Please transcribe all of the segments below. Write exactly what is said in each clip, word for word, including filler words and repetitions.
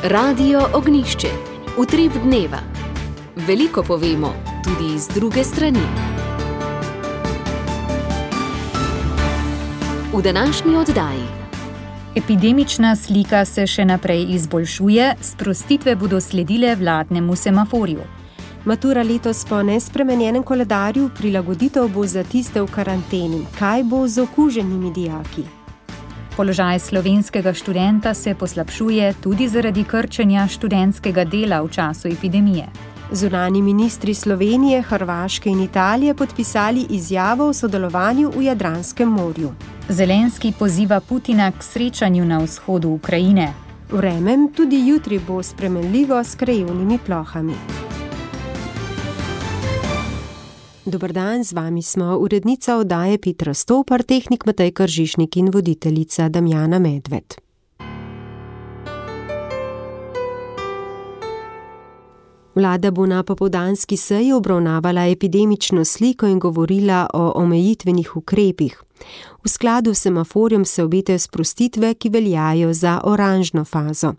Radio Ognjišče. Utrip dneva. Veliko povemo, tudi iz druge strani. V današnji oddaji. Epidemična slika se še naprej izboljšuje, sprostitve bodo sledile vladnemu semaforju. Matura letos po nespremenjenem koledarju, prilagoditev bo za tiste v karanteni. Kaj bo z okuženimi dijaki? Položaj slovenskega študenta se poslabšuje tudi zaradi krčenja študentskega dela v času epidemije. Zunanji ministri Slovenije, Hrvaške in Italije podpisali izjavo o sodelovanju v Jadranskem morju. Zelenski poziva Putina k srečanju na vzhodu Ukrajine. Vreme tudi jutri bo spremenljivo s krajevnimi plohami. Dober dan, z vami smo urednica oddaje Petra Stopar, tehnik Matej Kržišnik in voditeljica Damjana Medved. Vlada bo na popoldanski seji obravnavala epidemično sliko in govorila o omejitvenih ukrepih. V skladu s semaforjem se obetajo sprostitve, ki veljajo za oranžno fazo.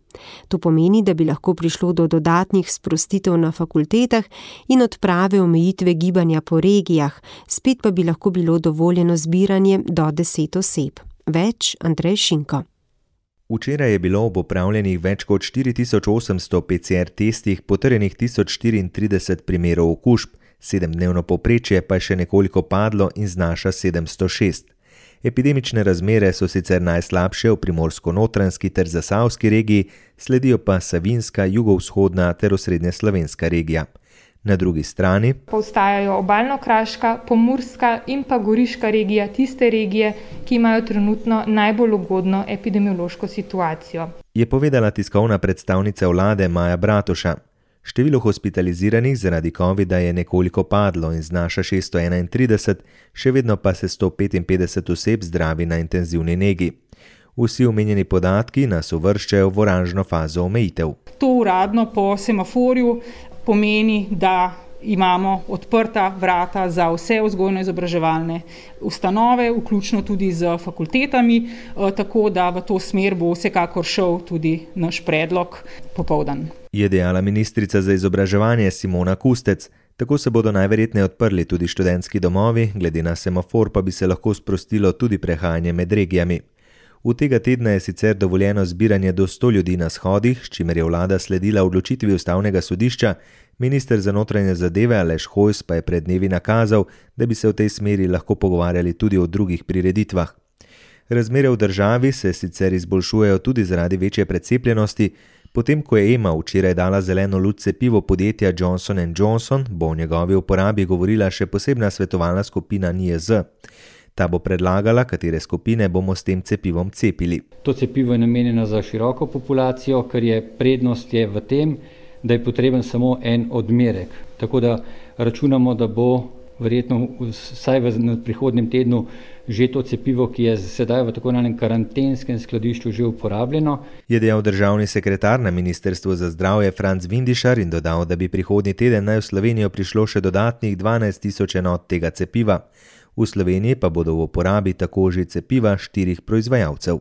To pomeni, da bi lahko prišlo do dodatnih sprostitev na fakultetah in odprave omejitve gibanja po regijah, spet pa bi lahko bilo dovoljeno zbiranje do deset oseb. Več Andrej Šinko. Včeraj je bilo ob opravljenih več kot štiri tisoč osemsto P C R testih potrjenih tisoč štiriintrideset primerov okužb, sedemdnevno povprečje pa je še nekoliko padlo in znaša sedemsto šest. Epidemične razmere so sicer najslabše v primorsko-notranjski ter zasavski regiji, sledijo pa savinska, jugovzhodna ter osrednjeslovenska regija. Na drugi strani pa ostajajo obalno-kraška, pomurska in pa goriška regija, tiste regije, ki imajo trenutno najbolj ugodno epidemiološko situacijo. Je povedala tiskovna predstavnica vlade Maja Bratuša. Število hospitaliziranih zaradi covida je nekoliko padlo in znaša šeststo enaintrideset, še vedno pa se sto petinpetdeset oseb zdravi na intenzivni negi. Vsi omenjeni podatki nas uvrščajo v oranžno fazo omejitev. To uradno po semaforju pomeni, da imamo odprta vrata za vse vzgojno-izobraževalne ustanove, vključno tudi z fakultetami, tako da v to smer bo vsekakor šel tudi naš predlog popoldan. Je dejala ministrica za izobraževanje Simona Kustec. Tako se bodo najverjetneje odprli tudi študentski domovi, glede na semafor pa bi se lahko sprostilo tudi prehajanje med regijami. V tega tedna je sicer dovoljeno zbiranje do sto ljudi na shodih, s čimer je vlada sledila odločitvi ustavnega sodišča, minister za notranje zadeve Aleš Hojs pa je pred dnevi nakazal, da bi se v tej smeri lahko pogovarjali tudi o drugih prireditvah. Razmere v državi se sicer izboljšujejo tudi zaradi večje precepljenosti. Potem, ko je E M A včeraj dala zeleno luč cepivu podjetja Johnson and Johnson, bo o njegovi uporabi govorila še posebna svetovalna skupina N I E Z. Ta bo predlagala, katere skupine bomo s tem cepivom cepili. To cepivo je namenjeno za široko populacijo, ker je prednost je v tem, da je potreben samo en odmerek. Tako da računamo, da bo verjetno vsaj v prihodnjem tednu že to cepivo, ki je sedaj v tako imenovanem karantenskem skladišču že uporabljeno. Je dejal državni sekretar na Ministrstvu za zdravje Franc Vindišar in dodal, da bi prihodnji teden naj v Slovenijo prišlo še dodatnih dvanajst tisoč enot tega cepiva. V Sloveniji pa bodo v uporabi tako že cepiva štirih proizvajalcev.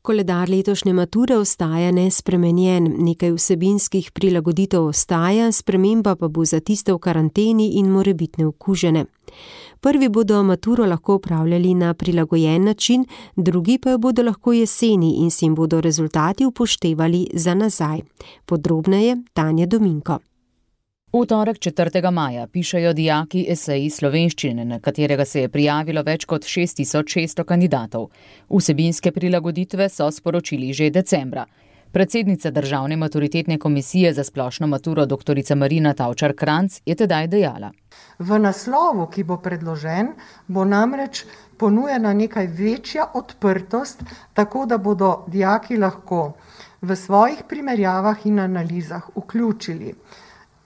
Koledar letošnje mature ostaja nespremenjen, nekaj vsebinskih prilagoditev ostaja, sprememba pa bo za tiste v karanteni in morebitne okužene. Prvi bodo maturo lahko opravljali na prilagojen način, drugi pa jo bodo lahko jeseni in si jim bodo rezultati upoštevali za nazaj. Podrobneje Tanja Dominko. V torek četrtega maja pišejo dijaki esej slovenščine, na katerega se je prijavilo več kot šest tisoč šeststo kandidatov. Vsebinske prilagoditve so sporočili že decembra. Predsednica Državne maturitetne komisije za splošno maturo doktorica Marina Tavčar-Kranc je tedaj dejala. V naslovu, ki bo predložen, bo namreč ponujena nekaj večja odprtost, tako da bodo dijaki lahko v svojih primerjavah in analizah vključili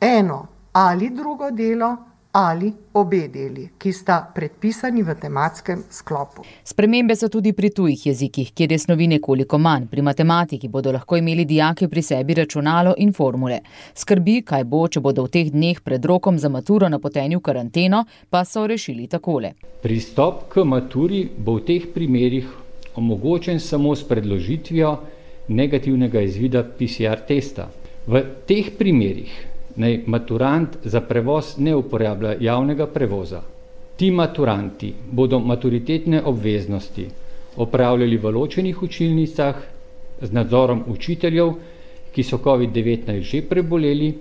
eno ali drugo delo ali obe deli, ki sta predpisani v tematskem sklopu. Spremembe so tudi pri tujih jezikih, kjer je snovi nekoliko manj. Pri matematiki bodo lahko imeli dijaki pri sebi računalo in formule. Skrbi, kaj bo, če bodo v teh dneh pred rokom za maturo napoteni v karanteno, pa so rešili takole. Pristop k maturi bo v teh primerih omogočen samo s predložitvijo negativnega izvida P C R testa. V teh primerih naj maturant za prevoz ne uporablja javnega prevoza. Ti maturanti bodo maturitetne obveznosti opravljali v ločenih učilnicah z nadzorom učiteljev, ki so covid devetnajst že preboleli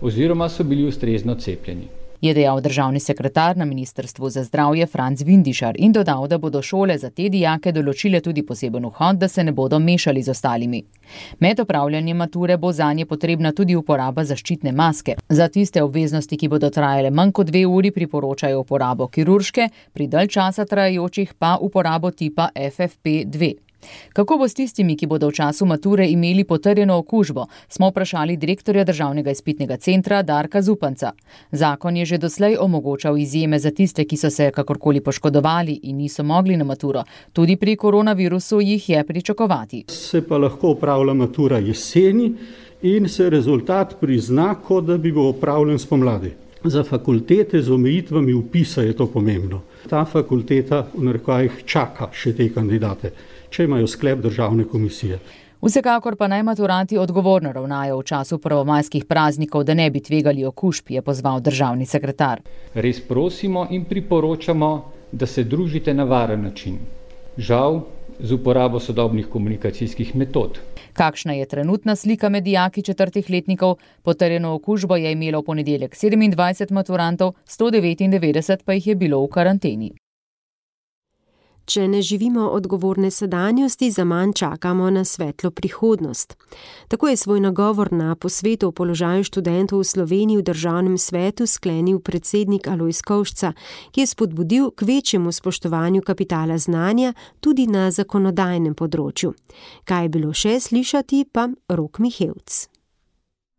oziroma so bili ustrezno cepljeni. Je dejal državni sekretar na Ministrstvu za zdravje Franc Vindišar in dodal, da bodo šole za te dijake določile tudi poseben vhod, da se ne bodo mešali z ostalimi. Med opravljanjem mature bo zanje potrebna tudi uporaba zaščitne maske. Za tiste obveznosti, ki bodo trajale manj kot dve uri, priporočajo uporabo kirurške, pri dalj časa trajajočih pa uporabo tipa F F P dve. Kako bo s tistimi, ki bodo v času mature imeli potrjeno okužbo, smo vprašali direktorja Državnega izpitnega centra Darka Zupanca. Zakon je že doslej omogočal izjeme za tiste, ki so se kakorkoli poškodovali in niso mogli na maturo. Tudi pri koronavirusu jih je pričakovati. Se pa lahko opravlja matura jeseni in se rezultat prizna, kot da bi bil opravljen spomladi. Za fakultete z omejitvami vpisa je to pomembno. Ta fakulteta v narekovajih čaka še te kandidate, če imajo sklep državne komisije. Vsekakor pa naj maturanti odgovorno ravnajo v času prvomajskih praznikov, da ne bi tvegali okužb, je pozval državni sekretar. Res prosimo in priporočamo, da se družite na varen način. Žal, z uporabo sodobnih komunikacijskih metod. Kakšna je trenutna slika med dijaki četrtih letnikov? Potrjeno okužbo je imelo v ponedeljek sedemindvajset maturantov, sto devetindevetdeset pa jih je bilo v karanteni. Če ne živimo odgovorne sedanjosti, zaman čakamo na svetlo prihodnost. Tako je svoj nagovor na posvetu o položaju študentov v Sloveniji v državnem svetu sklenil predsednik Alojz Kovšca, ki je spodbudil k večjemu spoštovanju kapitala znanja tudi na zakonodajnem področju. Kaj je bilo še slišati, pa Rok Mihevc.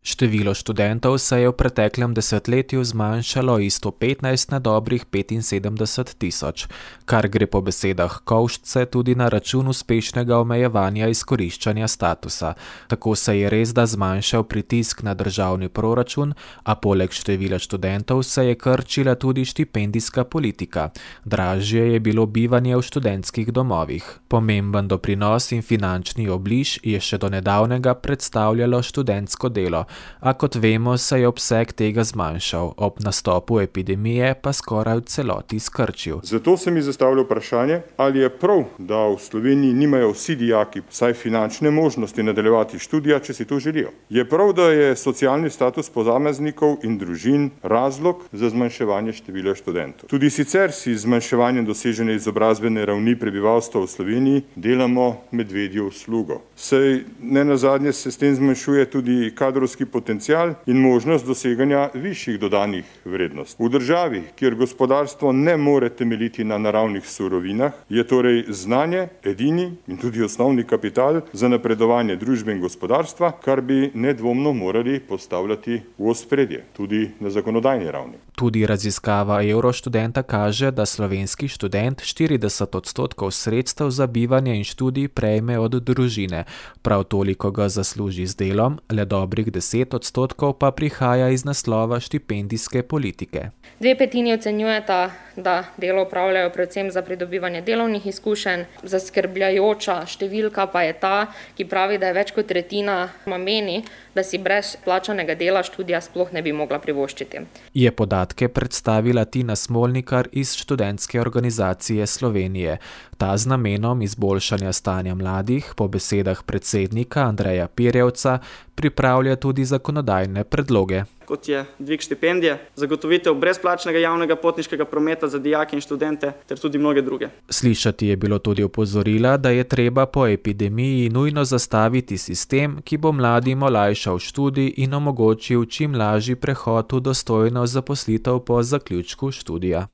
Število študentov se je v preteklem desetletju zmanjšalo iz sto petnajst na dobrih petinsedemdeset tisoč, kar gre po besedah Kovšce tudi na račun uspešnega omejevanja izkoriščanja statusa. Tako se je res da zmanjšal pritisk na državni proračun, a poleg števila študentov se je krčila tudi štipendijska politika. Dražje je bilo bivanje v študentskih domovih. Pomemben doprinos in finančni obliž je še do nedavnega predstavljalo študentsko delo, a kot vemo, se je obseg tega zmanjšal, ob nastopu epidemije pa skoraj v celoti skrčil. Zato se mi zastavlja vprašanje, ali je prav, da v Sloveniji nimajo vsi dijaki vsaj finančne možnosti nadaljevati študija, če si to želijo. Je prav, da je socialni status posameznikov in družin razlog za zmanjševanje števila študentov. Tudi sicer si z zmanjševanjem dosežene izobrazbene ravni prebivalstva v Sloveniji delamo medvedjo uslugo. Saj ne nazadnje se s tem zmanjšuje tudi kadrovski potencial in možnost doseganja višjih dodanih vrednosti. V državi, kjer gospodarstvo ne more temeljiti na naravnih surovinah, je torej znanje edini in tudi osnovni kapital za napredovanje družbe in gospodarstva, kar bi nedvomno morali postavljati v ospredje, tudi na zakonodajni ravni. Tudi raziskava Euroštudenta kaže, da slovenski študent štirideset odstotkov sredstev za bivanje in študij prejme od družine. Prav toliko ga zasluži z delom, le dobrih deset odstotkov pa prihaja iz naslova štipendijske politike. Dve petini ocenjujeta, da delo opravljajo predvsem za pridobivanje delovnih izkušenj. Zaskrbljajoča številka pa je ta, ki pravi, da je več kot tretjina meni, da si brez plačanega dela študija sploh ne bi mogla privoščiti. Je podatke predstavila Tina Smolnikar iz Študentske organizacije Slovenije. Ta z namenom izboljšanja stanja mladih, po besedah predsednika Andreja Pirjevca, pripravlja tudi zakonodajne predloge. Kot je dvig štipendije, zagotovitev brezplačnega javnega potniškega prometa za dijake in študente ter tudi mnoge druge. Slišati je bilo tudi opozorila, da je treba po epidemiji nujno zastaviti sistem, ki bo mladim olajšal študij in omogočil čim lažji prehod v dostojno zaposlitev po zaključku študija.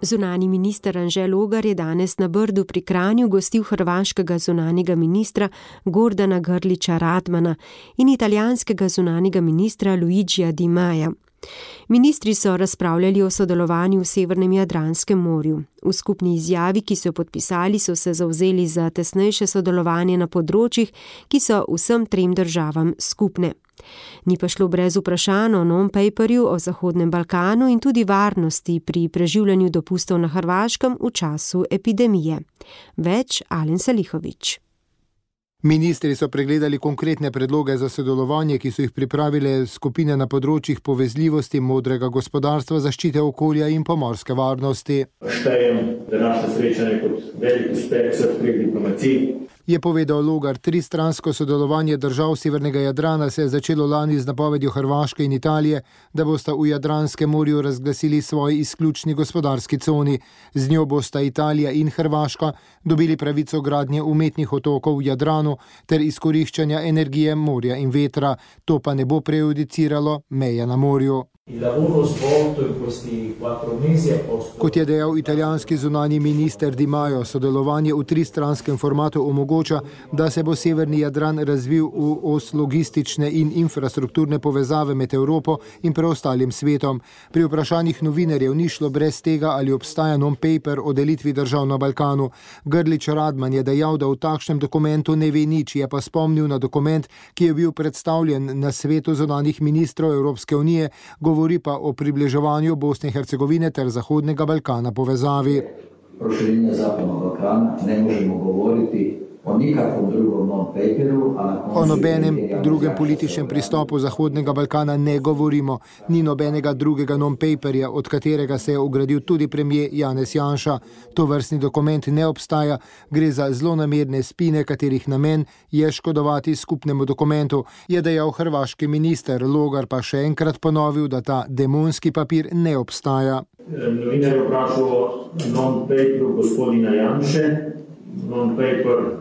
Zunanji minister Anže Logar je danes na Brdu pri Kranju gostil hrvaškega zunanjega ministra Gordana Grlića Radmana in italijanskega zunanjega ministra Luigija Di Maja. Ministri so razpravljali o sodelovanju v Severnem Jadranskem morju. V skupni izjavi, ki so jo podpisali, so se zavzeli za tesnejše sodelovanje na področjih, ki so vsem trem državam skupne. Ni pa šlo brez vprašanj o non-paperju o Zahodnem Balkanu in tudi varnosti pri preživljanju dopustov na Hrvaškem v času epidemije. Več Alen Salihović. Ministri so pregledali konkretne predloge za sodelovanje, ki so jih pripravile skupine na področjih povezljivosti, modrega gospodarstva, zaščite okolja in pomorske varnosti. Štejem današnje srečanje kot velik uspeh vseh treh diplomacij. Je povedal Logar. Tristransko sodelovanje držav Severnega Jadrana se je začelo lani z napovedjo Hrvaške in Italije, da bosta v Jadranskem morju razglasili svoji izključni gospodarski coni. Z njo bosta Italija in Hrvaška dobili pravico gradnje umetnih otokov v Jadranu ter izkoriščanja energije morja in vetra. To pa ne bo prejudiciralo meje na morju. Kot je dejal italijanski zunanji minister Di Maio, sodelovanje v tristranskem formatu omogoča, da se bo Severni Jadran razvil v os logistične in infrastrukturne povezave med Evropo in preostalim svetom. Pri vprašanjih novinarjev ni šlo brez tega, ali obstaja non-paper o delitvi držav na Balkanu. Grlić Radman je dejal, da v takšnem dokumentu ne ve nič, je pa spomnil na dokument, ki je bil predstavljen na svetu zunanjih ministrov Evropske unije, govori pa o približevanju Bosne in Hercegovine ter Zahodnega Balkana povezavi. Proširenje Zahodnog Balkana ne možemo govoriti o nikakvom drugom non-paperu. O nobenem drugem političnem pristopu Zahodnega Balkana ne govorimo. Ni nobenega drugega non-paperja, od katerega se je ogradil tudi premier Janez Janša. To vrstni dokument ne obstaja, gre za zlonamerne spine, katerih namen je škodovati skupnemu dokumentu, je dejal hrvaški minister. Logar pa še enkrat ponovil, da ta demonski papir ne obstaja. Novinar je vprašal non-paperu gospodina Janše. Non-paper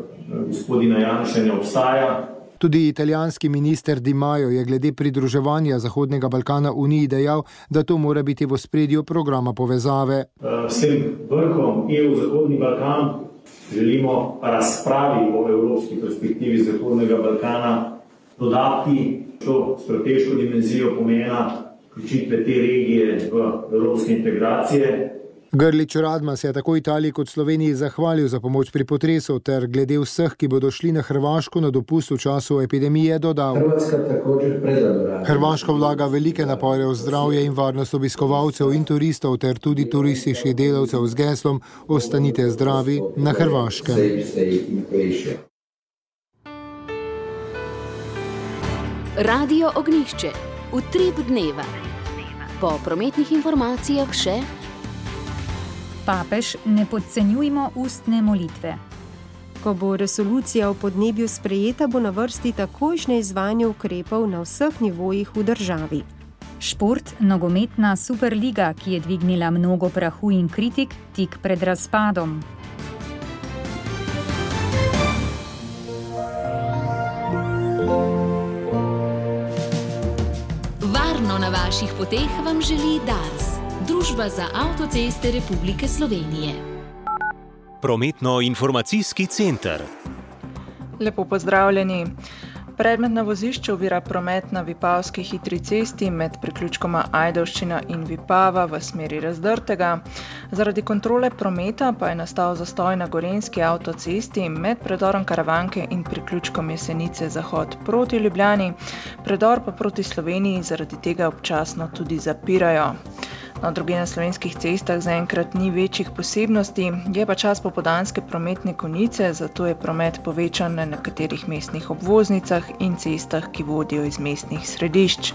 gospodina Janše ne obstaja. Tudi italijanski minister Di Maio je glede pridruževanja Zahodnega Balkana Uniji dejal, da to mora biti v ospredju programa povezave. S tem vrhom E U-Zahodni Balkan želimo razpravi o evropski perspektivi Zahodnega Balkana dodati to strateško dimenzijo pomena vključitve te regije v evropske integracije. Grlić Radman se je tako Italiji kot Sloveniji zahvalil za pomoč pri potresu ter glede vseh, ki bodo šli na Hrvaško na dopust v času epidemije, dodal. Hrvaška vlaga velike napore v zdravje in varnost obiskovalcev in turistov ter tudi turističnih delavcev z geslom Ostanite zdravi na Hrvaškem. Radio Ognjišče. Utrip dneva. Po prometnih informacijah še Papež, ne podcenjujmo ustne molitve. Ko bo resolucija o podnebju sprejeta, bo na vrsti takojšnje izvajanje ukrepov na vseh nivojih v državi. Šport, nogometna superliga, ki je dvignila mnogo prahu in kritik tik pred razpadom. Varno na vaših poteh vam želi Dars. Družba za avtoceste Republike Slovenije. Prometno-informacijski center. Lepo pozdravljeni. Predmet na vozišču ovira promet na Vipavski hitri cesti med priključkoma Ajdovščina in Vipava v smeri Razdrtega. Zaradi kontrole prometa pa je nastal zastoj na Gorenjski avtocesti med predorom Karavanke in priključkom Jesenice zahod proti Ljubljani. Predor pa proti Sloveniji zaradi tega občasno tudi zapirajo. Na drugih na slovenskih cestah zaenkrat ni večjih posebnosti, je pa čas popoldanske prometne konice, zato je promet povečan na nekaterih mestnih obvoznicah in cestah, ki vodijo iz mestnih središč.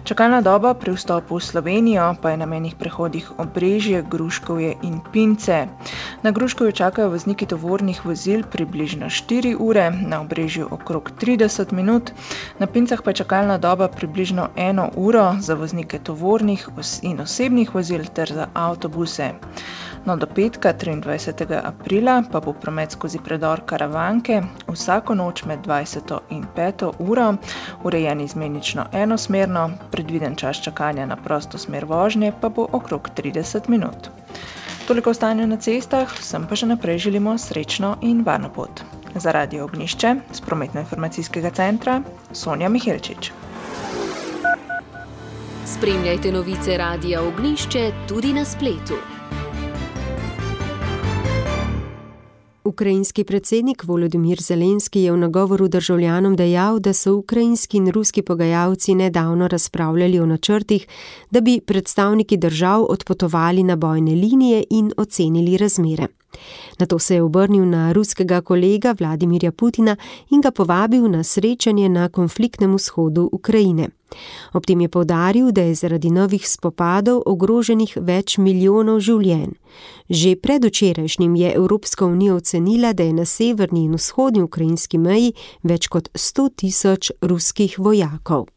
Čakalna doba pri vstopu v Slovenijo pa je na mejnih prehodih Obrežje, Gruškovje in Pince. Na Gruškovju čakajo vozniki tovornih vozil približno štiri ure, na Obrežju okrog trideset minut, na Pincah pa je čakalna doba približno eno uro za voznike tovornih in osebnih vozil ter za avtobuse. No, do petka, triindvajsetega aprila, pa bo promet skozi predor Karavanke vsako noč med dvajseto in peto uro urejen izmenično enosmerno, predviden čas čakanja na prosto smer vožnje pa bo okrog trideset minut. Toliko o stanju na cestah, vsem pa še naprej želimo srečno in varno pot. Za Radio Ognjišče z Prometno-informacijskega centra Sonja Mihelčič. S Spremljajte novice Radia Ognjišče tudi na spletu. Ukrajinski predsednik Volodymyr Zelenski je v nagovoru državljanom dejal, da so ukrajinski in ruski pogajalci nedavno razpravljali o načrtih, da bi predstavniki držav odpotovali na bojne linije in ocenili razmere. Nato se je obrnil na ruskega kolega Vladimirja Putina in ga povabil na srečanje na konfliktnem vzhodu Ukrajine. Ob tem je poudaril, da je zaradi novih spopadov ogroženih več milijonov življenj. Že predvčerajšnjim je Evropska unija ocenila, da je na severni in vzhodni ukrajinski meji več kot sto tisoč ruskih vojakov.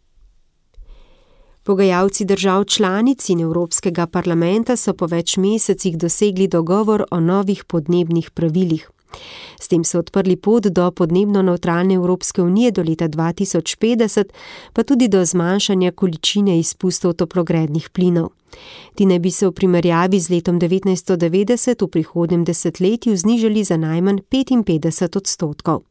Pogajalci držav članic in Evropskega parlamenta so po več mesecih dosegli dogovor o novih podnebnih pravilih. S tem so odprli pot do podnebno nevtralne Evropske unije do leta dva tisoč petdeset, pa tudi do zmanjšanja količine izpustov toplogrednih plinov. Ti naj bi se v primerjavi z letom devetnajststo devetdeset v prihodnjem desetletju znižali za najmanj petinpetdeset odstotkov.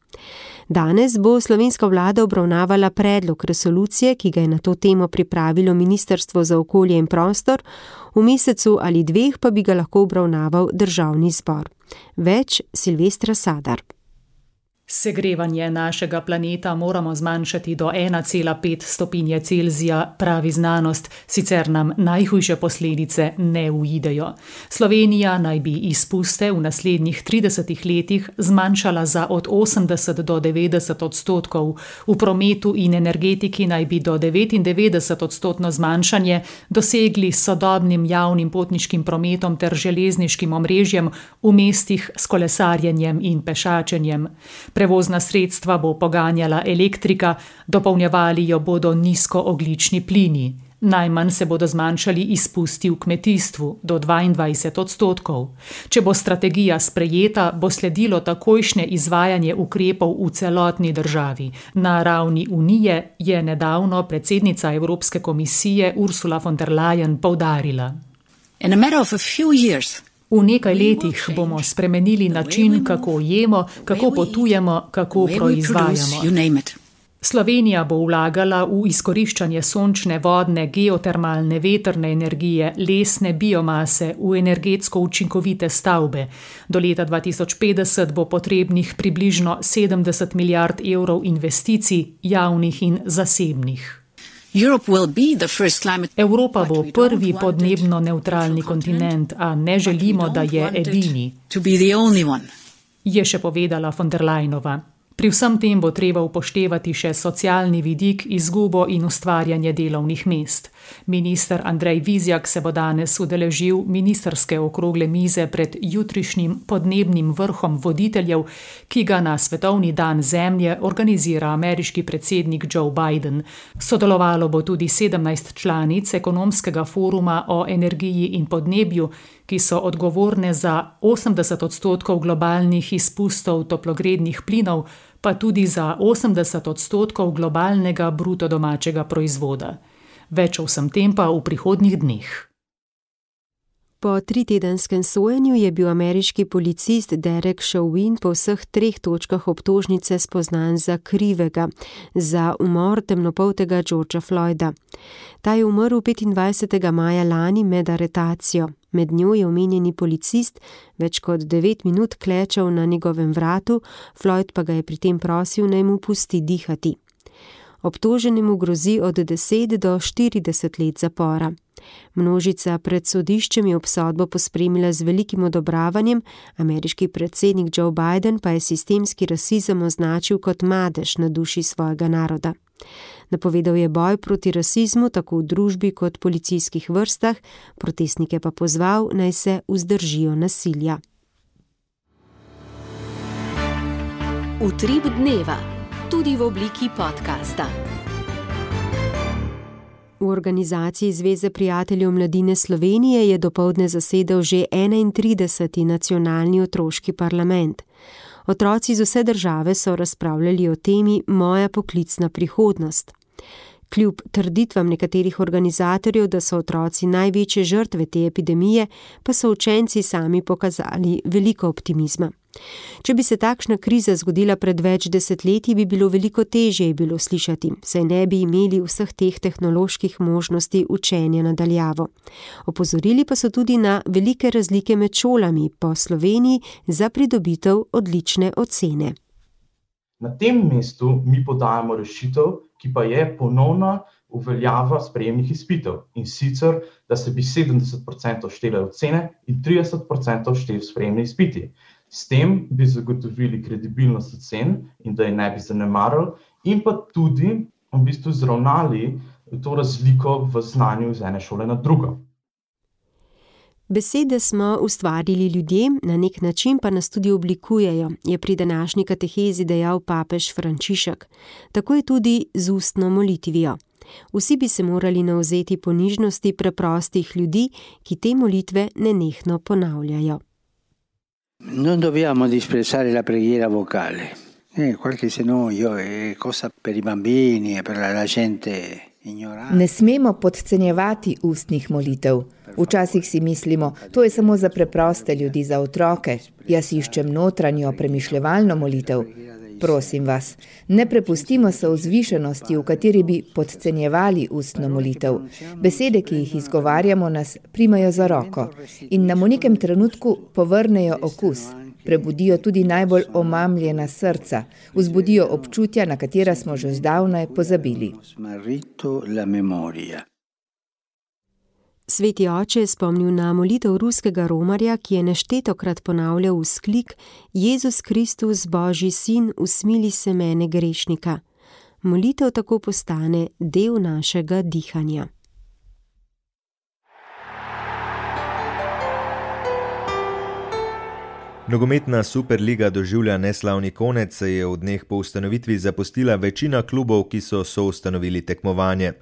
Danes bo slovenska vlada obravnavala predlog resolucije, ki ga je na to temo pripravilo Ministrstvo za okolje in prostor, v mesecu ali dveh pa bi ga lahko obravnaval Državni zbor. Več Silvestra Sadar. Segrevanje našega planeta moramo zmanjšati do ena cela pet stopinje Celzija, pravi znanost, sicer nam najhujše posledice ne uidejo. Slovenija naj bi izpuste v naslednjih tridesetih letih zmanjšala za od osemdeset do devetdeset odstotkov, v prometu in energetiki naj bi do devetindevetdeset odstotno zmanjšanje dosegli s sodobnim javnim potniškim prometom ter železniškim omrežjem v mestih s kolesarjenjem in pešačenjem. Prevozna sredstva bo poganjala elektrika, dopolnjevali jo bodo nizkoogljični plini. Najmanj se bodo zmanjšali izpusti v kmetijstvu, do dvaindvajset odstotkov. Če bo strategija sprejeta, bo sledilo takojšnje izvajanje ukrepov v celotni državi. Na ravni Unije je nedavno predsednica Evropske komisije Ursula von der Leyen poudarila. In a matter of a few years, V nekaj letih bomo spremenili način, kako jemo, kako potujemo, kako proizvajamo. Slovenija bo vlagala v izkoriščanje sončne, vodne, geotermalne, vetrne energije, lesne biomase, v energetsko učinkovite stavbe. Do leta dva tisoč petdeset bo potrebnih približno sedemdeset milijard evrov investicij, javnih in zasebnih. Evropa bo prvi podnebno nevtralni kontinent, a ne želimo, da je edini, je še povedala von der Leyenova. Pri vsem tem bo treba upoštevati še socialni vidik, izgubo in ustvarjanje delovnih mest. Minister Andrej Vizjak se bo danes udeležil ministrske okrogle mize pred jutrišnjim podnebnim vrhom voditeljev, ki ga na Svetovni dan zemlje organizira ameriški predsednik Joe Biden. Sodelovalo bo tudi sedemnajst članic ekonomskega foruma o energiji in podnebju, ki so odgovorne za osemdeset odstotkov globalnih izpustov toplogrednih plinov, pa tudi za osemdeset odstotkov globalnega bruto domačega proizvoda. Več o vsem tem pa v prihodnjih dneh. Po tritedenskem sojenju je bil ameriški policist Derek Chauvin po vseh treh točkah obtožnice spoznan za krivega, za umor temnopoltega Georgea Floyda. Ta je umrl petindvajsetega maja lani med aretacijo. Med njo je omenjeni policist več kot devet minut klečal na njegovem vratu, Floyd pa ga je pri tem prosil, naj mu pusti dihati. Obtoženemu grozi od deset do štirideset let zapora. Množica pred sodiščem je obsodbo pospremila z velikim odobravanjem, ameriški predsednik Joe Biden pa je sistemski rasizem označil kot madež na duši svojega naroda. Napovedal je boj proti rasizmu tako v družbi kot policijskih vrstah, protestnike pa pozval, naj se vzdržijo nasilja. Utrip dneva, tudi v obliki podcasta. V organizaciji Zveze prijateljev mladine Slovenije je dopoldne zasedal že enaintrideseti nacionalni otroški parlament. Otroci iz vse države so razpravljali o temi Moja poklicna prihodnost. Kljub trditvam nekaterih organizatorjev, da so otroci največje žrtve te epidemije, pa so učenci sami pokazali veliko optimizma. Če bi se takšna kriza zgodila pred več desetletji, bi bilo veliko težje, je bilo slišati, saj ne bi imeli vseh teh tehnoloških možnosti učenja na daljavo. Opozorili pa so tudi na velike razlike med šolami po Sloveniji za pridobitev odlične ocene. Na tem mestu mi podajamo rešitev, ki pa je ponovna uveljava sprejemnih izpitev, in sicer, da se bi sedemdeset procentov štele ocene in trideset procentov šteli sprejemni izpiti. S tem bi zagotovili kredibilnost ocen in da je ne bi zanemarili in pa tudi v bistvu zravnali to razliko v znanju iz ene šole na drugo. Besede smo ustvarili ljudje, na nek način pa nas tudi oblikujejo, je pri današnji katehezi dejal papež Frančišek. Tako je tudi z ustno molitvijo. Vsi bi se morali navzeti ponižnosti preprostih ljudi, ki te molitve nenehno ponavljajo. Non dobbiamo disprezzare la preghiera vocale. Eh, qualche se no io è cosa per i bambini e per la gente ignorante. Ne smemo podcenjevati ustnih molitev. Včasih si mislimo, to je samo za preproste ljudi, za otroke. Jaz iščem notranjo premišljevalno molitev. Prosim vas, ne prepustimo se vzvišenosti, v kateri bi podcenjevali ustno molitev. Besede, ki jih izgovarjamo, nas primajo za roko in nam v nekem trenutku povrnejo okus, prebudijo tudi najbolj omamljena srca, vzbudijo občutja, na katera smo že zdavnaj pozabili. Sveti oče je spomnil na molitev ruskega romarja, ki je neštetokrat ponavljal vzklik: Jezus Kristus, Božji sin, usmili se mene grešnika. Molitev tako postane del našega dihanja. Nogometna Superliga doživlja neslavni konec, saj je v dneh po ustanovitvi zapustila večina klubov, ki so soustanovili tekmovanje.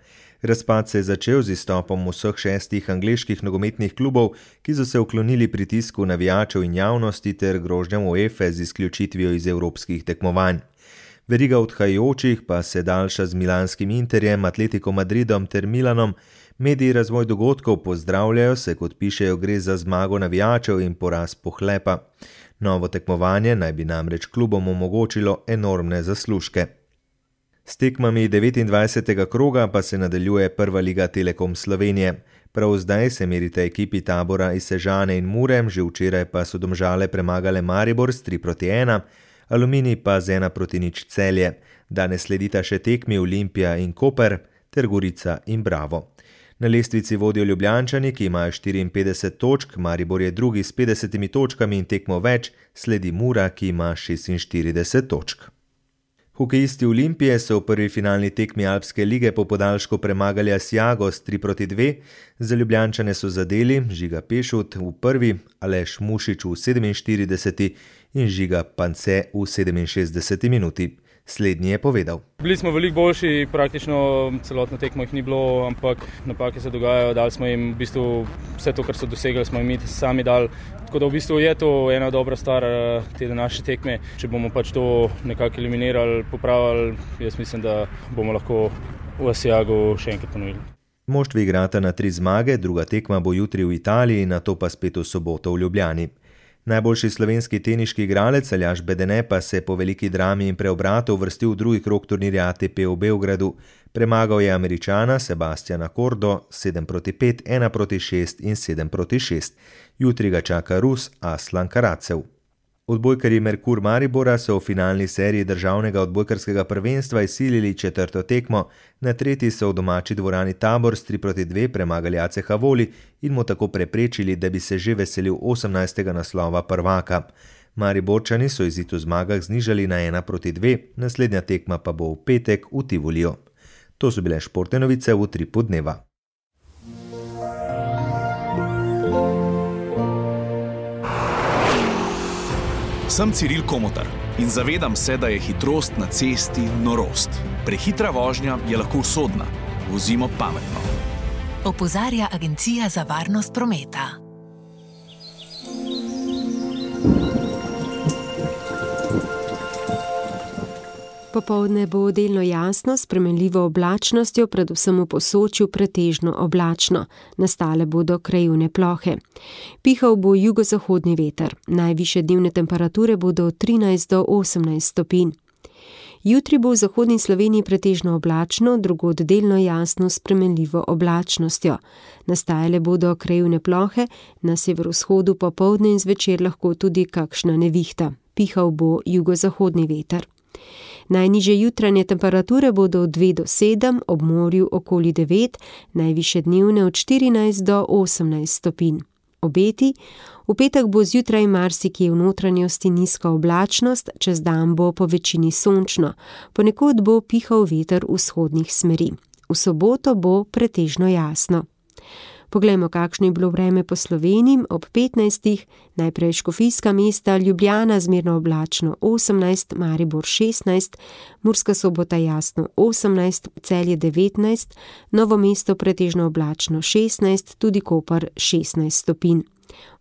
Razpad se je začel z izstopom vseh šestih angleških nogometnih klubov, ki so se uklonili pritisku navijačev in javnosti ter grožnjam UEFA z izključitvijo iz evropskih tekmovanj. Veriga odhajajočih pa se daljša z milanskim Interjem, Atletico Madridom ter Milanom. Mediji razvoj dogodkov pozdravljajo, se kot pišejo, gre za zmago navijačev in poraz pohlepa. Novo tekmovanje naj bi namreč klubom omogočilo enormne zaslužke. S tekmami devetindvajsetega kroga pa se nadaljuje prva liga Telekom Slovenije. Prav zdaj se merite ekipi Tabora iz Sežane in Mure, že včeraj pa so Domžale premagale Maribor s tri proti ena, Aluminij pa z ena proti nič Celje. Danes sledita še tekmi Olimpija in Koper ter Gorica in Bravo. Na lestvici vodijo Ljubljančani, ki imajo štiriinpetdeset točk, Maribor je drugi s petdesetimi točkami in tekmo več, sledi Mura, ki ima šestinštirideset točk. Hokejisti Olimpije so v prvi finalni tekmi Alpske lige po podaljšku premagali Asiago s tri proti dve, za Ljubljančane so zadeli Žiga Pešut v prvi, Aleš Mušič v sedeminštirideseti in Žiga Pance v sedeminšestdeseti minuti. Slednji je povedal. Bili smo veliko boljši, praktično celotno tekmo jih ni bilo, ampak napake se dogajajo, dali smo jim v bistvu vse to, kar so dosegli, smo jim sami dali. Tako da v bistvu je to ena dobra stvar te današnje tekme. Če bomo pač to nekako eliminirali, popravili, jaz mislim, da bomo lahko v Asiagu še enkrat ponovili. Moštvi igrata na tri zmage, druga tekma bo jutri v Italiji, nato pa spet v soboto v Ljubljani. Najboljši slovenski teniški igralec Aljaž Bedene pa se po veliki drami in preobratu uvrstil v drugi krog turnirja A T P v Beogradu. Premagal je Američana Sebastiana Kordo sedem proti pet, ena proti šest in sedem proti šest. Jutri ga čaka Rus Aslan Karacev. Odbojkarji Merkur Maribora so v finalni seriji državnega odbojkarskega prvenstva izsilili četrto tekmo. Na tretji so v domači dvorani Tabor s tri proti dve premagali A C H Voli in mu tako preprečili, da bi se že veselil osemnajstega naslova prvaka. Mariborčani so izid v zmagah znižali na ena proti dve, naslednja tekma pa bo v petek v Tivoliju. To so bile športne novice v Utripu dneva. Sem Ciril Komotar in zavedam se, da je hitrost na cesti norost. Prehitra vožnja je lahko usodna. Vozimo pametno. Opozarja Agencija za varnost prometa. Popoldne bo delno jasno, s spremenljivo oblačnostjo, predvsem v Posočju pretežno oblačno. Nastale bodo krajevne plohe. Pihal bo jugozahodni veter. Najvišje dnevne temperature bodo od trinajst do osemnajst stopinj. Jutri bo v zahodni Sloveniji pretežno oblačno, drugod delno jasno s spremenljivo oblačnostjo. Nastajale bodo krajevne plohe, na severovzhodu popoldne in zvečer lahko tudi kakšna nevihta. Pihal bo jugozahodni veter. Najnižje jutranje temperature bodo od dve do sedem, ob morju okoli devet, najvišje dnevne od štirinajst do osemnajst stopinj. Obeti: v petek bo zjutraj marsikje v notranjosti nizka oblačnost, čez dan bo po večini sončno, ponekod bo pihal veter vzhodnih smeri. V soboto bo pretežno jasno. Poglejmo, kakšno je bilo vreme po Sloveniji ob petnajstih. Najprej Škofijska mesta, Ljubljana zmerno oblačno osemnajst, Maribor šestnajst, Murska Sobota jasno osemnajst, Celje devetnajst, Novo mesto pretežno oblačno šestnajst, tudi Koper šestnajst stopinj.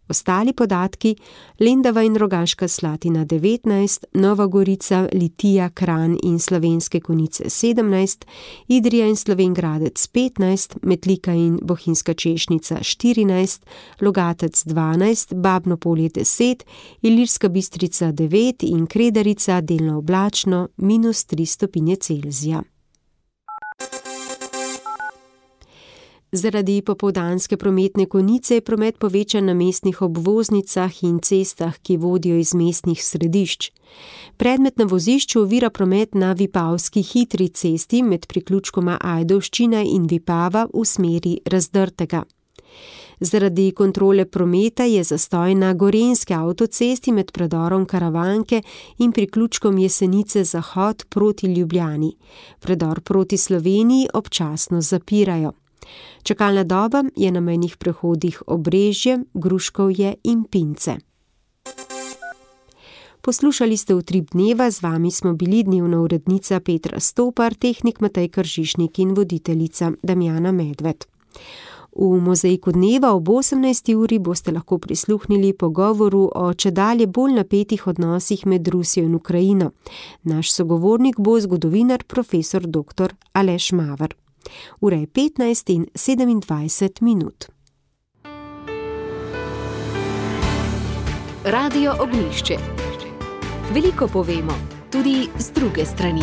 Ostali podatki: Lendava in Rogaška Slatina devetnajst, Nova Gorica, Litija, Kranj in Slovenske Konjice sedemnajst, Idrija in Slovenj Gradec petnajst, Metlika in Bohinjska Češnica štirinajst, Logatec dvanajst, Babno Polje deset, Ilirska Bistrica devet in Kredarica delno oblačno minus tri stopinje Celzija. Zaradi popoldanske prometne konice je promet povečan na mestnih obvoznicah in cestah, ki vodijo iz mestnih središč. Predmet na vozišču ovira promet na Vipavski hitri cesti med priključkoma Ajdovščina in Vipava v smeri Razdrtega. Zaradi kontrole prometa je zastoj na Gorenjski avtocesti med predorom Karavanke in priključkom Jesenice Zahod proti Ljubljani. Predor proti Sloveniji občasno zapirajo. Čakalna doba je na mejnih prehodih Obrežje, Gruškovje in Pince. Poslušali ste Utrip dneva, z vami smo bili dnevna urednica Petra Stopar, tehnik Matej Kržišnik in voditeljica Damjana Medved. V Mozaiku dneva ob osemnajsti uri boste lahko prisluhnili pogovoru o čedalje bolj napetih odnosih med Rusijo in Ukrajino. Naš sogovornik bo zgodovinar profesor doktor Aleš Maver. Ura je petnajst in sedemindvajset minut. Radio Ognjišče. Veliko povemo, tudi z druge strani.